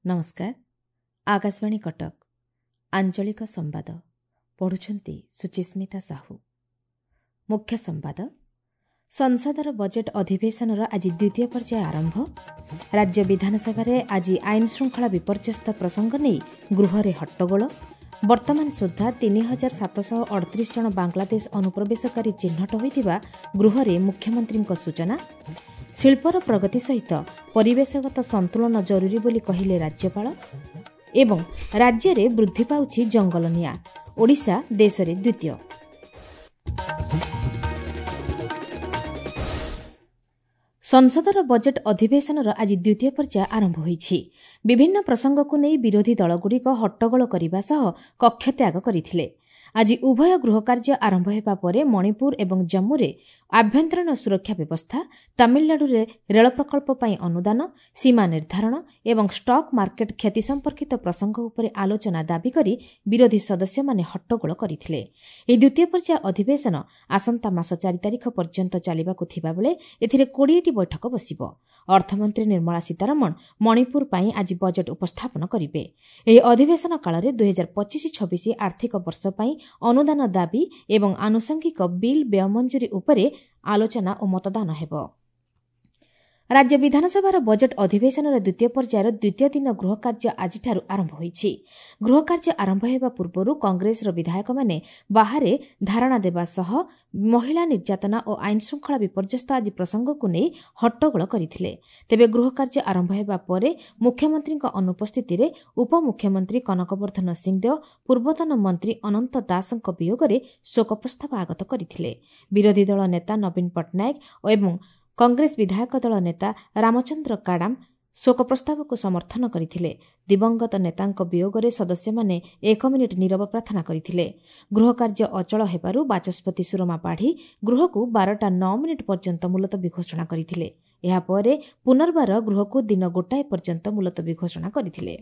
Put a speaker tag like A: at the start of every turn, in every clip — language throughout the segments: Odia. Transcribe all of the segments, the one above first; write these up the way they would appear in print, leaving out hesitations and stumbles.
A: ନମସ୍କାର। ଆକାଶବାଣୀ କଟକ, ଆଞ୍ଚଳିକ ସମ୍ବାଦ ପଢ଼ୁଛନ୍ତି ସୁଚିସ୍ମିତା ସାହୁ। ମୁଖ୍ୟ ସମ୍ବାଦ। ସଂସଦର ବଜେଟ୍ ଅଧିବେଶନର ଆଜି ଦ୍ୱିତୀୟ ପର୍ଯ୍ୟାୟ ଆରମ୍ଭ। ରାଜ୍ୟ ବିଧାନସଭାରେ ଆଜି ଆଇନ ଶୃଙ୍ଖଳା ବିପର୍ଯ୍ୟସ୍ତ ପ୍ରସଙ୍ଗ ନେଇ ଗୃହରେ ହଟ୍ଟଗୋଳ। ବର୍ତ୍ତମାନ ସୁଦ୍ଧା 3738 ଜଣ ବାଂଲାଦେଶ ଅନୁପ୍ରବେଶକାରୀ ଚିହ୍ନଟ ହୋଇଥିବା ଗୃହରେ ମୁଖ୍ୟମନ୍ତ୍ରୀଙ୍କ ସୂଚନା। ଶିଳ୍ପର ପ୍ରଗତି ସହିତ ପରିବେଶଗତ ସନ୍ତୁଳନ ଜରୁରୀ ବୋଲି କହିଲେ ରାଜ୍ୟପାଳ। ଏବଂ ରାଜ୍ୟରେ ବୃଦ୍ଧି ପାଉଛି ଜଙ୍ଗଲ ନିଆଁ, ଓଡ଼ିଶା ଦେଶରେ ଦ୍ୱିତୀୟ। ସଂସଦର ବଜେଟ୍ ଅଧିବେଶନର ଆଜି ଦ୍ୱିତୀୟ ପର୍ଯ୍ୟାୟ ଆରମ୍ଭ ହୋଇଛି। ବିଭିନ୍ନ ପ୍ରସଙ୍ଗକୁ ନେଇ ବିରୋଧୀ ଦଳଗୁଡ଼ିକ ହଟ୍ଟଗୋଳ କରିବା ସହ କକ୍ଷତ୍ୟାଗ କରିଥିଲେ। ଆଜି ଉଭୟ ଗୃହକାର୍ଯ୍ୟ ଆରମ୍ଭ ହେବା ପରେ ମଣିପୁର ଏବଂ ଜମ୍ମୁରେ ଆଭ୍ୟନ୍ତରୀଣ ସୁରକ୍ଷା ବ୍ୟବସ୍ଥା, ତାମିଲନାଡୁରେ ରେଳ ପ୍ରକଳ୍ପ ପାଇଁ ଅନୁଦାନ, ସୀମା ନିର୍ଦ୍ଧାରଣ ଏବଂ ଷ୍ଟକ୍ ମାର୍କେଟ କ୍ଷତି ସମ୍ପର୍କିତ ପ୍ରସଙ୍ଗ ଉପରେ ଆଲୋଚନା ଦାବି କରି ବିରୋଧୀ ସଦସ୍ୟମାନେ ହଟ୍ଟଗୋଳ କରିଥିଲେ। ଏହି ଦ୍ୱିତୀୟ ପର୍ଯ୍ୟାୟ ଅଧିବେଶନ ଆସନ୍ତା ମାସ 4 ତାରିଖ ପର୍ଯ୍ୟନ୍ତ ଚାଲିବାକୁ ଥିବାବେଳେ ଏଥିରେ 20ଟି ବୈଠକ ବସିବ। ଅର୍ଥମନ୍ତ୍ରୀ ନିର୍ମଳା ସୀତାରମଣ ମଣିପୁର ପାଇଁ ଆଜି ବଜେଟ୍ ଉପସ୍ଥାପନ କରିବେ। ଏହି ଅଧିବେଶନ କାଳରେ 2025-26 ଆର୍ଥିକ ବର୍ଷ ପାଇଁ ଅନୁଦାନ ଦାବି ଏବଂ ଆନୁଷଙ୍ଗିକ ବିଲ୍ ବ୍ୟୟ ମଞ୍ଜୁରୀ ଉପରେ ଆଲୋଚନା ଓ ମତଦାନ ହେବ। ରାଜ୍ୟ ବିଧାନସଭାର ବଜେଟ୍ ଅଧିବେଶନର ଦ୍ୱିତୀୟ ପର୍ଯ୍ୟାୟର ଦ୍ୱିତୀୟ ଦିନ ଗୃହକାର୍ଯ୍ୟ ଆଜିଠାରୁ ଆରମ୍ଭ ହୋଇଛି। ଗୃହକାର୍ଯ୍ୟ ଆରମ୍ଭ ହେବା ପୂର୍ବରୁ କଂଗ୍ରେସର ବିଧାୟକମାନେ ବାହାରେ ଧାରଣା ଦେବା ସହ ମହିଳା ନିର୍ଯାତନା ଓ ଆଇନଶୃଙ୍ଖଳା ବିପର୍ଯ୍ୟସ୍ତ ଆଦି ପ୍ରସଙ୍ଗକୁ ନେଇ ହଟ୍ଟଗୋଳ କରିଥିଲେ। ତେବେ ଗୃହକାର୍ଯ୍ୟ ଆରମ୍ଭ ହେବା ପରେ ମୁଖ୍ୟମନ୍ତ୍ରୀଙ୍କ ଅନୁପସ୍ଥିତିରେ ଉପମୁଖ୍ୟମନ୍ତ୍ରୀ କନକବର୍ଦ୍ଧନ ସିଂଦେଓ ପୂର୍ବତନ ମନ୍ତ୍ରୀ ଅନନ୍ତ ଦାସଙ୍କ ବିୟୋଗରେ ଶୋକ ପ୍ରସ୍ତାବ ଆଗତ କରିଥିଲେ। ବିରୋଧୀ ଦଳ ନେତା ନବୀନ ପଟ୍ଟନାୟକ ଏବଂ କଂଗ୍ରେସ ବିଧାୟକ ଦଳ ନେତା ରାମଚନ୍ଦ୍ର କାଡାମ ଶୋକ ପ୍ରସ୍ତାବକୁ ସମର୍ଥନ କରିଥିଲେ। ଦିବଂଗତ ନେତାଙ୍କ ବିୟୋଗରେ ସଦସ୍ୟମାନେ 1 ମିନିଟ୍ ନୀରବ ପ୍ରାର୍ଥନା କରିଥିଲେ। ଗୃହକାର୍ଯ୍ୟ ଅଚଳ ହେବାରୁ ବାଚସ୍ପତି ସୁରମା ପାଢ଼ୀ ଗୃହକୁ 12ଟା 9 ମିନିଟ୍ ପର୍ଯ୍ୟନ୍ତ ମୁଲତବୀ ଘୋଷଣା କରିଥିଲେ। ଏହାପରେ ପୁନର୍ବାର ଗୃହକୁ ଦିନ 1 ପର୍ଯ୍ୟନ୍ତ ମୁଲତବୀ ଘୋଷଣା କରିଥିଲେ।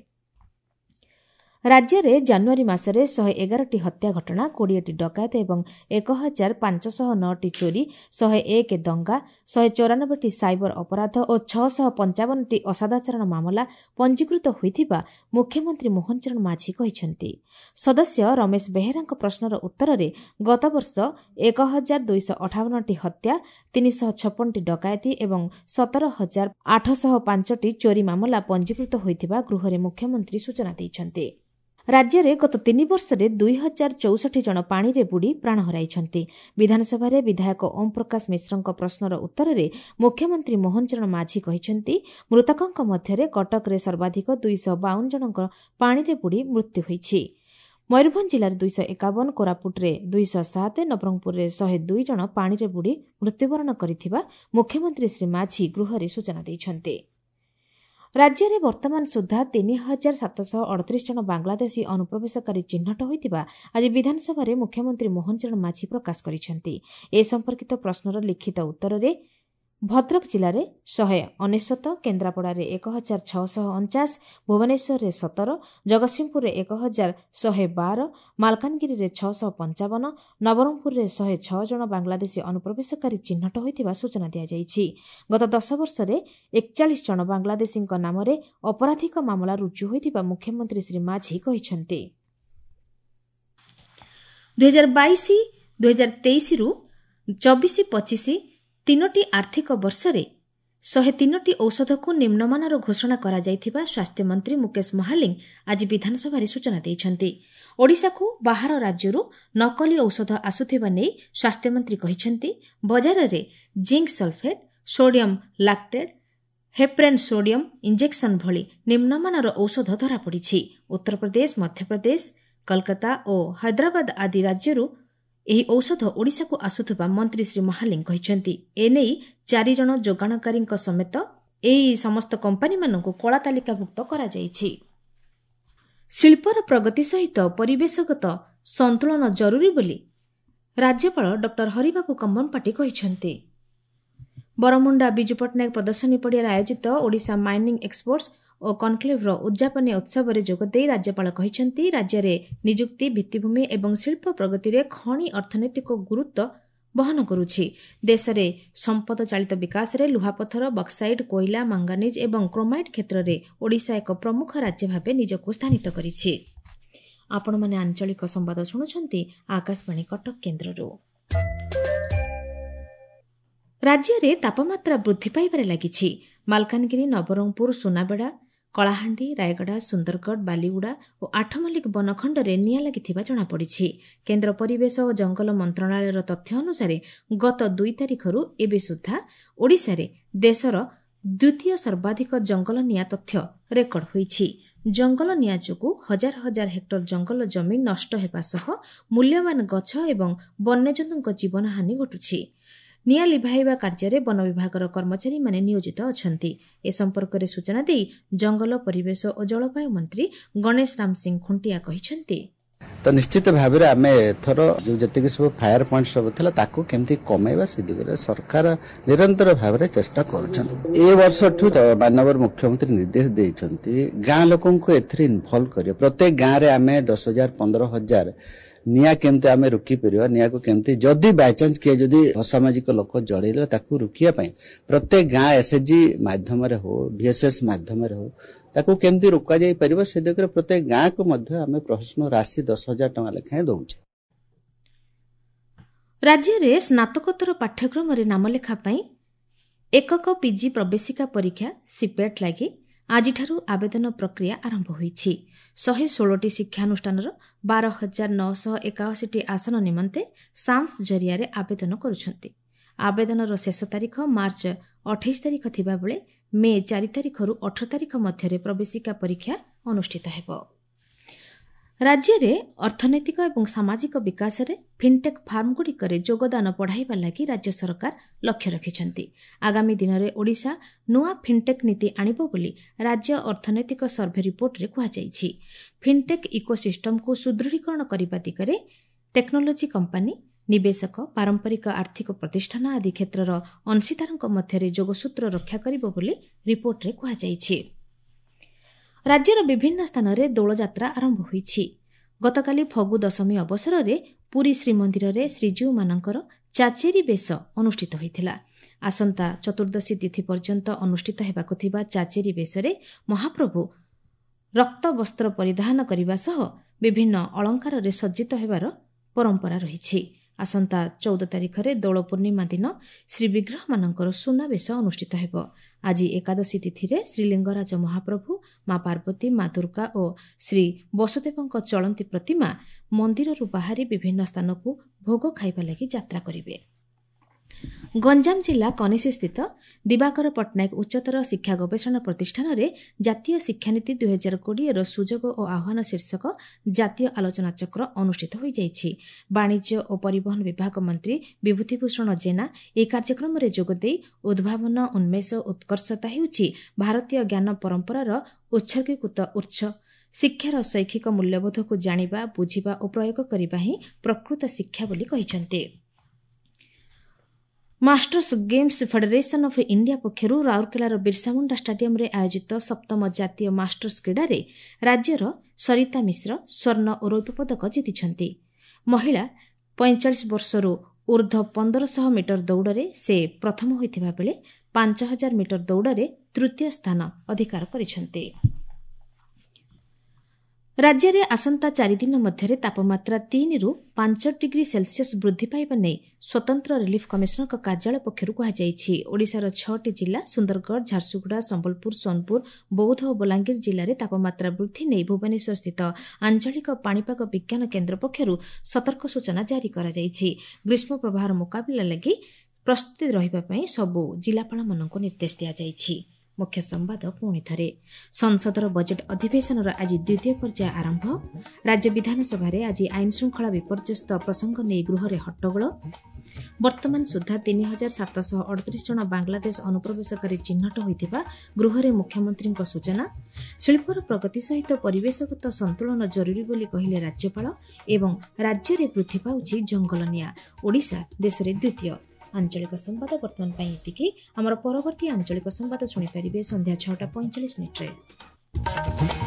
A: ରାଜ୍ୟରେ ଜାନୁଆରୀ ମାସରେ 111ଟି ହତ୍ୟା ଘଟଣା, 20ଟି ଡକାୟତ ଏବଂ 1509ଟି ଚୋରି, 101 ଦଙ୍ଗା, 194ଟି ସାଇବର ଅପରାଧ ଓ 655ଟି ଅସଦାଚରଣ ମାମଲା ପଞ୍ଜୀକୃତ ହୋଇଥିବା ମୁଖ୍ୟମନ୍ତ୍ରୀ ମୋହନ ଚରଣ ମାଝୀ କହିଛନ୍ତି। ସଦସ୍ୟ ରମେଶ ବେହେରାଙ୍କ ପ୍ରଶ୍ନର ଉତ୍ତରରେ ଗତବର୍ଷ 1258ଟି ହତ୍ୟା, 356ଟି ଡକାୟତି ଏବଂ 17,805ଟି ଚୋରି ମାମଲା ପଞ୍ଜୀକୃତ ହୋଇଥିବା ଗୃହରେ ମୁଖ୍ୟମନ୍ତ୍ରୀ ସୂଚନା ଦେଇଛନ୍ତି। ରାଜ୍ୟରେ ଗତ 3 ବର୍ଷରେ 2064 ଜଣ ପାଣିରେ ବୁଡ଼ି ପ୍ରାଣ ହରାଇଛନ୍ତି। ବିଧାନସଭାରେ ବିଧାୟକ ଓମ୍ ପ୍ରକାଶ ମିଶ୍ରଙ୍କ ପ୍ରଶ୍ନର ଉତ୍ତରରେ ମୁଖ୍ୟମନ୍ତ୍ରୀ ମୋହନ ଚରଣ ମାଝୀ କହିଛନ୍ତି, ମୃତକଙ୍କ ମଧ୍ୟରେ କଟକରେ ସର୍ବାଧିକ 252 ଜଣଙ୍କ ପାଣିରେ ବୁଡ଼ି ମୃତ୍ୟୁ ହୋଇଛି। ମୟୂରଭଞ୍ଜ ଜିଲ୍ଲାରେ 251, କୋରାପୁଟରେ 207, ନବରଙ୍ଗପୁରରେ 102 ଜଣ ପାଣିରେ ବୁଡ଼ି ମୃତ୍ୟୁବରଣ କରିଥିବା ମୁଖ୍ୟମନ୍ତ୍ରୀ ଶ୍ରୀ ମାଝୀ ଗୃହରେ ସୂଚନା ଦେଇଛନ୍ତି। ରାଜ୍ୟରେ ବର୍ତ୍ତମାନ ସୁଦ୍ଧା 3738 ଜଣ ବାଂଲାଦେଶୀ ଅନୁପ୍ରବେଶକାରୀ ଚିହ୍ନଟ ହୋଇଥିବା ଆଜି ବିଧାନସଭାରେ ମୁଖ୍ୟମନ୍ତ୍ରୀ ମୋହନ ଚରଣ ମାଝୀ ପ୍ରକାଶ କରିଛନ୍ତି। ଏ ସମ୍ପର୍କିତ ପ୍ରଶ୍ନର ଲିଖିତ ଉତ୍ତରରେ ଭଦ୍ରକ ଜିଲ୍ଲାରେ 199, କେନ୍ଦ୍ରାପଡ଼ାରେ 1649, ଭୁବନେଶ୍ୱରରେ 17, ଜଗତସିଂହପୁରରେ 1112, ମାଲକାନଗିରିରେ 655, ନବରଙ୍ଗପୁରରେ 106 ଜଣ ବାଂଲାଦେଶୀ ଅନୁପ୍ରବେଶକାରୀ ଚିହ୍ନଟ ହୋଇଥିବା ସୂଚନା ଦିଆଯାଇଛି। ଗତ 10 ବର୍ଷରେ 41 ଜଣ ବାଂଲାଦେଶୀଙ୍କ ନାମରେ ଅପରାଧିକ ମାମଲା ରୁଜୁ ହୋଇଥିବା ମୁଖ୍ୟମନ୍ତ୍ରୀ ଶ୍ରୀ ମାଝୀ କହିଛନ୍ତି। 2022 2023ରୁ 24-25 ତିନୋଟି ଆର୍ଥିକ ବର୍ଷରେ 103ଟି ଔଷଧକୁ ନିମ୍ନମାନର ଘୋଷଣା କରାଯାଇଥିବା ସ୍ୱାସ୍ଥ୍ୟମନ୍ତ୍ରୀ ମୁକେଶ ମହାଲିଙ୍ଗ ଆଜି ବିଧାନସଭାରେ ସୂଚନା ଦେଇଛନ୍ତି। ଓଡ଼ିଶାକୁ ବାହାର ରାଜ୍ୟରୁ ନକଲି ଔଷଧ ଆସୁଥିବା ନେଇ ସ୍ୱାସ୍ଥ୍ୟମନ୍ତ୍ରୀ କହିଛନ୍ତି। ବଜାରରେ zinc sulphate, sodium lactate, heparin sodium injection ଭଳି ନିମ୍ନମାନର ଔଷଧ ଧରାପଡ଼ିଛି। ଉତ୍ତରପ୍ରଦେଶ, ମଧ୍ୟପ୍ରଦେଶ, କଲକାତା ଓ ହାଇଦ୍ରାବାଦ ଆଦି ରାଜ୍ୟରୁ ଏହି ଔଷଧ ଓଡ଼ିଶାକୁ ଆସୁଥିବା ମନ୍ତ୍ରୀ ଶ୍ରୀ ମହାଲିଙ୍ଗ କହିଛନ୍ତି। ଏନେଇ 4 ଜଣ ଯୋଗାଣକାରୀଙ୍କ ସମେତ ଏହି ସମସ୍ତ କମ୍ପାନୀମାନଙ୍କୁ କଳା ତାଲିକାଭୁକ୍ତ କରାଯାଇଛି। ଶିଳ୍ପର ପ୍ରଗତି ସହିତ ପରିବେଶଗତ ସନ୍ତୁଳନ ଜରୁରୀ ବୋଲି ରାଜ୍ୟପାଳ ଡକ୍ଟର ହରିବାବୁ କମ୍ବମପାଟି କହିଛନ୍ତି। ବରମୁଣ୍ଡା ବିଜୁ ପଟ୍ଟନାୟକ ପ୍ରଦର୍ଶନୀ ପଡ଼ିଆରେ ଆୟୋଜିତ ଓଡ଼ିଶା ମାଇନିଂ ଏକ୍ସପୋର୍ଟସ ଓ କନକ୍ଲେଭର ଉଦ୍ଯାପନୀ ଉତ୍ସବରେ ଯୋଗଦେଇ ରାଜ୍ୟପାଳ କହିଛନ୍ତି, ରାଜ୍ୟରେ ନିଯୁକ୍ତି, ଭିତ୍ତିଭୂମି ଏବଂ ଶିଳ୍ପ ପ୍ରଗତିରେ ଖଣି ଅର୍ଥନୈତିକ ଗୁରୁତ୍ୱ ବହନ କରୁଛି। ଦେଶରେ ସମ୍ପଦ ଚାଳିତ ବିକାଶରେ ଲୁହାପଥର, ବକ୍ସାଇଟ୍, କୋଇଲା, ମାଙ୍ଗାନିଜ୍ ଏବଂ କ୍ରୋମାଇଟ୍ କ୍ଷେତ୍ରରେ ଓଡ଼ିଶା ଏକ ପ୍ରମୁଖ ରାଜ୍ୟ ଭାବେ ନିଜକୁ ସ୍ଥାନିତ କରିଛି। ଆପଣମାନେ ଆଞ୍ଚଳିକ ସମ୍ବାଦ ଶୁଣୁଛନ୍ତି ଆକାଶବାଣୀ କଟକ କେନ୍ଦ୍ରରୁ। ରାଜ୍ୟରେ ତାପମାତ୍ରା ବୃଦ୍ଧି ପାଇବାରେ ଲାଗିଛି। ମାଲକାନଗିରି, ନବରଙ୍ଗପୁର, ସୁନାବେଡ଼ା, କଳାହାଣ୍ଡି, ରାୟଗଡ଼ା, ସୁନ୍ଦରଗଡ଼, ବାଲିଗୁଡ଼ା ଓ ଆଠମଲ୍ଲିକ ବନଖଣ୍ଡରେ ନିଆଁ ଲାଗିଥିବା ଜଣାପଡ଼ିଛି। କେନ୍ଦ୍ର ପରିବେଶ ଓ ଜଙ୍ଗଲ ମନ୍ତ୍ରଣାଳୟର ତଥ୍ୟ ଅନୁସାରେ ଗତ 2 ତାରିଖରୁ ଏବେ ସୁଦ୍ଧା ଓଡ଼ିଶାରେ ଦେଶର ଦ୍ୱିତୀୟ ସର୍ବାଧିକ ଜଙ୍ଗଲ ନିଆଁ ତଥ୍ୟ ରେକର୍ଡ ହୋଇଛି। ଜଙ୍ଗଲ ନିଆଁ ଯୋଗୁଁ ହଜାର ହଜାର ହେକ୍ଟର ଜଙ୍ଗଲ ଜମି ନଷ୍ଟ ହେବା ସହ ମୂଲ୍ୟବାନ ଗଛ ଏବଂ ବନ୍ୟଜନ୍ତୁଙ୍କ ଜୀବନହାନି ଘଟୁଛି। ନିଆଁ ଲିଭାଇବା କାର୍ଯ୍ୟରେ ବନ ବିଭାଗର କର୍ମଚାରୀମାନେ ନିୟୋଜିତ ଅଛନ୍ତି। ଏ ସମ୍ପର୍କରେ ସୂଚନା ଦେଇ ଜଙ୍ଗଲ, ପରିବେଶ ଓ ଜଳବାୟୁ ମନ୍ତ୍ରୀ ଗଣେଶ ରାମ ସିଂ ଖୁଣ୍ଟିଆ କହିଛନ୍ତି,
B: ତ ନିଶ୍ଚିତ ଭାବରେ ଆମେ ଏଥର ଯେଉଁ ଯେତିକି ସବୁ ଫାୟାର ପଏଣ୍ଟ ସବୁ ଥିଲା ତାକୁ କେମିତି କମେଇବା ସେ ଦିଗରେ ସରକାର ନିରନ୍ତର ଭାବରେ ଚେଷ୍ଟା କରୁଛନ୍ତି। ଏ ବର୍ଷଠୁ ମାନ୍ୟବର ମୁଖ୍ୟମନ୍ତ୍ରୀ ନିର୍ଦ୍ଦେଶ ଦେଇଛନ୍ତି ଗାଁ ଲୋକଙ୍କୁ ଏଥିରେ ଇନଭଲ୍ଭ କରିବା। ପ୍ରତ୍ୟେକ ଗାଁରେ ଆମେ 10 ହଜାର, 15 ହଜାର ନିଆଁ କେମିତି ଆମେ ରୋକିପାରିବା, ନିଆଁକୁ କେମିତି ଯଦି ବାଇଚାନ୍ସ କିଏ ଯଦି ଅସାମାଜିକ ଲୋକ ଜଳେଇଦେଲା ତାକୁ ରୋକିବା ପାଇଁ ପ୍ରତ୍ୟେକ ଗାଁ ଏସ୍ଏଚ୍ଜି ମାଧ୍ୟମରେ ହଉ, ଭିଏସ୍ଏସ୍ ମାଧ୍ୟମରେ ହଉ, ତାକୁ କେମିତି ରୋକାଯାଇ ପାରିବ ସେ ଦିଗରେ ପ୍ରତ୍ୟେକ ଗାଁକୁ ମଧ୍ୟ ଆମେ ପ୍ରୋତ୍ସାହନ ରାଶି 10 ହଜାର ଟଙ୍କା ଲେଖାଏଁ ଦଉଛେ।
A: ରାଜ୍ୟରେ ସ୍ନାତକୋତ୍ତର ପାଠ୍ୟକ୍ରମରେ ନାମଲେଖା ପାଇଁ ଏକକ ପିଜି ପ୍ରବେଶିକା ପରୀକ୍ଷା ସିପେଟ୍ ଲାଗି ଆଜିଠାରୁ ଆବେଦନ ପ୍ରକ୍ରିୟା ଆରମ୍ଭ ହୋଇଛି। 116ଟି ଶିକ୍ଷାନୁଷ୍ଠାନର 12,981ଟି ଆସନ ନିମନ୍ତେ ସାମ୍ସ ଜରିଆରେ ଆବେଦନ କରୁଛନ୍ତି। ଆବେଦନର ଶେଷ ତାରିଖ ମାର୍ଚ୍ଚ 28 ତାରିଖ ଥିବାବେଳେ ମେ 4 ତାରିଖରୁ 18 ତାରିଖ ମଧ୍ୟରେ ପ୍ରବେଶିକା ପରୀକ୍ଷା ଅନୁଷ୍ଠିତ ହେବ। ରାଜ୍ୟରେ ଅର୍ଥନୈତିକ ଏବଂ ସାମାଜିକ ବିକାଶରେ ଫିନ୍ଟେକ୍ ଫାର୍ମଗୁଡ଼ିକରେ ଯୋଗଦାନ ବଢ଼ାଇବା ଲାଗି ରାଜ୍ୟ ସରକାର ଲକ୍ଷ୍ୟ ରଖିଛନ୍ତି। ଆଗାମୀ ଦିନରେ ଓଡ଼ିଶା ନୂଆ ଫିନ୍ଟେକ୍ ନୀତି ଆଣିବ ବୋଲି ରାଜ୍ୟ ଅର୍ଥନୈତିକ ସର୍ଭେ ରିପୋର୍ଟରେ କୁହାଯାଇଛି। ଫିନ୍ଟେକ୍ ଇକୋସିଷ୍ଟମକୁ ସୁଦୃଢ଼ୀକରଣ କରିବା ଦିଗରେ ଟେକ୍ନୋଲୋଜି କମ୍ପାନୀ, ନିବେଶକ, ପାରମ୍ପରିକ ଆର୍ଥିକ ପ୍ରତିଷ୍ଠାନ ଆଦି କ୍ଷେତ୍ରର ଅଂଶୀଦାରଙ୍କ ମଧ୍ୟରେ ଯୋଗସୂତ୍ର ରକ୍ଷା କରିବ ବୋଲି ରିପୋର୍ଟରେ କୁହାଯାଇଛି। ରାଜ୍ୟର ବିଭିନ୍ନ ସ୍ଥାନରେ ଦୋଳଯାତ୍ରା ଆରମ୍ଭ ହୋଇଛି। ଗତକାଲି ଫଗୁ ଦଶମୀ ଅବସରରେ ପୁରୀ ଶ୍ରୀମନ୍ଦିରରେ ଶ୍ରୀଜୀଉମାନଙ୍କର ଚାଚେରୀ ବେଶ ଅନୁଷ୍ଠିତ ହୋଇଥିଲା। ଆସନ୍ତା ଚତୁର୍ଦ୍ଦଶୀ ତିଥି ପର୍ଯ୍ୟନ୍ତ ଅନୁଷ୍ଠିତ ହେବାକୁ ଥିବା ଚାଚେରୀ ବେଶରେ ମହାପ୍ରଭୁ ରକ୍ତ ବସ୍ତ୍ର ପରିଧାନ କରିବା ସହ ବିଭିନ୍ନ ଅଳଙ୍କାରରେ ସଜ୍ଜିତ ହେବାର ପରମ୍ପରା ରହିଛି। ଆସନ୍ତା 14 ତାରିଖରେ ଦୋଳ ପୂର୍ଣ୍ଣିମା ଦିନ ଶ୍ରୀବିଗ୍ରହମାନଙ୍କର ସୁନାବେଶ ଅନୁଷ୍ଠିତ ହେବ। ଆଜି ଏକାଦଶୀ ତିଥିରେ ଶ୍ରୀଲିଙ୍ଗରାଜ ମହାପ୍ରଭୁ, ମା ପାର୍ବତୀ, ମା ଦୁର୍ଗା ଓ ଶ୍ରୀ ବସୁଦେବଙ୍କ ଚଳନ୍ତି ପ୍ରତିମା ମନ୍ଦିରରୁ ବାହାରି ବିଭିନ୍ନ ସ୍ଥାନକୁ ଭୋଗ ଖାଇବା ଲାଗି ଯାତ୍ରା କରିବେ। ଗଞ୍ଜାମ ଜିଲ୍ଲା କନିଷିସ୍ଥିତ ଦିବାକର ପଟ୍ଟନାୟକ ଉଚ୍ଚତର ଶିକ୍ଷା ଗବେଷଣା ପ୍ରତିଷ୍ଠାନରେ ଜାତୀୟ ଶିକ୍ଷାନୀତି 2020ର ସୁଯୋଗ ଓ ଆହ୍ୱାନ ଶୀର୍ଷକ ଜାତୀୟ ଆଲୋଚନାଚକ୍ର ଅନୁଷ୍ଠିତ ହୋଇଯାଇଛି। ବାଣିଜ୍ୟ ଓ ପରିବହନ ବିଭାଗ ମନ୍ତ୍ରୀ ବିଭୂତିଭୂଷଣ ଜେନା ଏହି କାର୍ଯ୍ୟକ୍ରମରେ ଯୋଗଦେଇ ଉଦ୍ଭାବନ, ଉନ୍ମେଷ, ଉତ୍କର୍ଷତା ହେଉଛି ଭାରତୀୟ ଜ୍ଞାନ ପରମ୍ପରାର ଉତ୍ସର୍ଗୀକୃତ ଉତ୍ସ। ଶିକ୍ଷାର ଶୈକ୍ଷିକ ମୂଲ୍ୟବୋଧକୁ ଜାଣିବା, ବୁଝିବା ଓ ପ୍ରୟୋଗ କରିବା ହିଁ ପ୍ରକୃତ ଶିକ୍ଷା ବୋଲି କହିଛନ୍ତି। Masters games federation of India ପକ୍ଷରୁ ରାଉରକେଲାର ବିର୍ସାମୁଣ୍ଡା ଷ୍ଟାଡିୟମରେ ଆୟୋଜିତ ସପ୍ତମ ଜାତୀୟ ମାଷ୍ଟର୍ସ କ୍ରୀଡ଼ାରେ ରାଜ୍ୟର ସରିତା ମିଶ୍ର ସ୍ୱର୍ଣ୍ଣ ଓ ରୌପ୍ୟ ପଦକ ଜିତିଛନ୍ତି। ମହିଳା 45 ବର୍ଷରୁ ଊର୍ଦ୍ଧ୍ୱ 1500 ମିଟର ଦୌଡ଼ରେ ସେ ପ୍ରଥମ ହୋଇଥିବା ବେଳେ 5000 ମିଟର ଦୌଡ଼ରେ ତୃତୀୟ ସ୍ଥାନ ଅଧିକାର କରିଛନ୍ତି। ରାଜ୍ୟରେ ଆସନ୍ତା 4 ଦିନ ମଧ୍ୟରେ ତାପମାତ୍ରା 3ରୁ 5 ଡିଗ୍ରୀ ସେଲସିୟସ୍ ବୃଦ୍ଧି ପାଇବା ନେଇ ସ୍ୱତନ୍ତ୍ର ରିଲିଫ୍ କମିଶନରଙ୍କ କାର୍ଯ୍ୟାଳୟ ପକ୍ଷରୁ କୁହାଯାଇଛି। ଓଡ଼ିଶାର 6ଟି ଜିଲ୍ଲା ସୁନ୍ଦରଗଡ଼, ଝାରସୁଗୁଡ଼ା, ସମ୍ବଲପୁର, ସୋନପୁର, ବୌଦ୍ଧ ଓ ବଲାଙ୍ଗୀର ଜିଲ୍ଲାରେ ତାପମାତ୍ରା ବୃଦ୍ଧି ନେଇ ଭୁବନେଶ୍ୱରସ୍ଥିତ ଆଞ୍ଚଳିକ ପାଣିପାଗ ବିଜ୍ଞାନ କେନ୍ଦ୍ର ପକ୍ଷରୁ ସତର୍କ ସୂଚନା ଜାରି କରାଯାଇଛି। ଗ୍ରୀଷ୍ମ ପ୍ରବାହର ମୁକାବିଲା ଲାଗି ପ୍ରସ୍ତୁତି ରହିବା ପାଇଁ ସବୁ ଜିଲ୍ଲାପାଳମାନଙ୍କୁ ନିର୍ଦ୍ଦେଶ ଦିଆଯାଇଛି। ମୁଖ୍ୟ ସମ୍ବାଦ ପୁଣି ଥରେ। ସଂସଦର ବଜେଟ୍ ଅଧିବେଶନର ଆଜି ଦ୍ୱିତୀୟ ପର୍ଯ୍ୟାୟ ଆରମ୍ଭ। ରାଜ୍ୟ ବିଧାନସଭାରେ ଆଜି ଆଇନ ଶୃଙ୍ଖଳା ବିପର୍ଯ୍ୟସ୍ତ ପ୍ରସଙ୍ଗ ନେଇ ଗୃହରେ ହଟ୍ଟଗୋଳ। ବର୍ତ୍ତମାନ ସୁଦ୍ଧା 3738 ଜଣ ବାଂଲାଦେଶ ଅନୁପ୍ରବେଶକାରୀ ଚିହ୍ନଟ ହୋଇଥିବା ଗୃହରେ ମୁଖ୍ୟମନ୍ତ୍ରୀଙ୍କ ସୂଚନା। ଶିଳ୍ପର ପ୍ରଗତି ସହିତ ପରିବେଶଗତ ସନ୍ତୁଳନ ଜରୁରୀ ବୋଲି କହିଲେ ରାଜ୍ୟପାଳ। ଏବଂ ରାଜ୍ୟରେ ବୃଦ୍ଧି ପାଉଛି ଜଙ୍ଗଲ ନିଆଁ, ଓଡ଼ିଶା ଦେଶରେ ଦ୍ୱିତୀୟ। ଆଞ୍ଚଳିକ ସମ୍ବାଦ ବର୍ତ୍ତମାନ ପାଇଁ ଏତିକି। ଆମର ପରବର୍ତ୍ତୀ ଆଞ୍ଚଳିକ ସମ୍ବାଦ ଶୁଣିପାରିବେ ସନ୍ଧ୍ୟା 6:45।